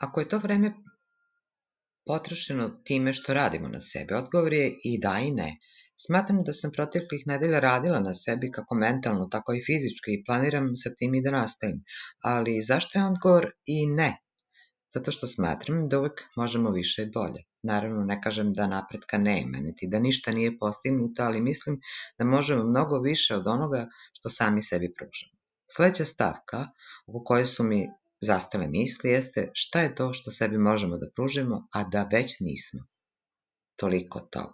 Ako je to vreme potrošeno time što radimo na sebi, odgovor je i da i ne. Smatram da sam proteklih nedelja radila na sebi kako mentalno, tako i fizički i planiram sa tim i da nastavim. Ali zašto je odgovor i ne? Zato što smatram da uvek možemo više i bolje. Naravno, ne kažem da napretka nema, niti da ništa nije postignuto, ali mislim da možemo mnogo više od onoga što sami sebi pružamo. Sledeća stavka oko koje su mi zastale misli jeste šta je to što sebi možemo da pružimo, a da već nismo. Toliko od toga.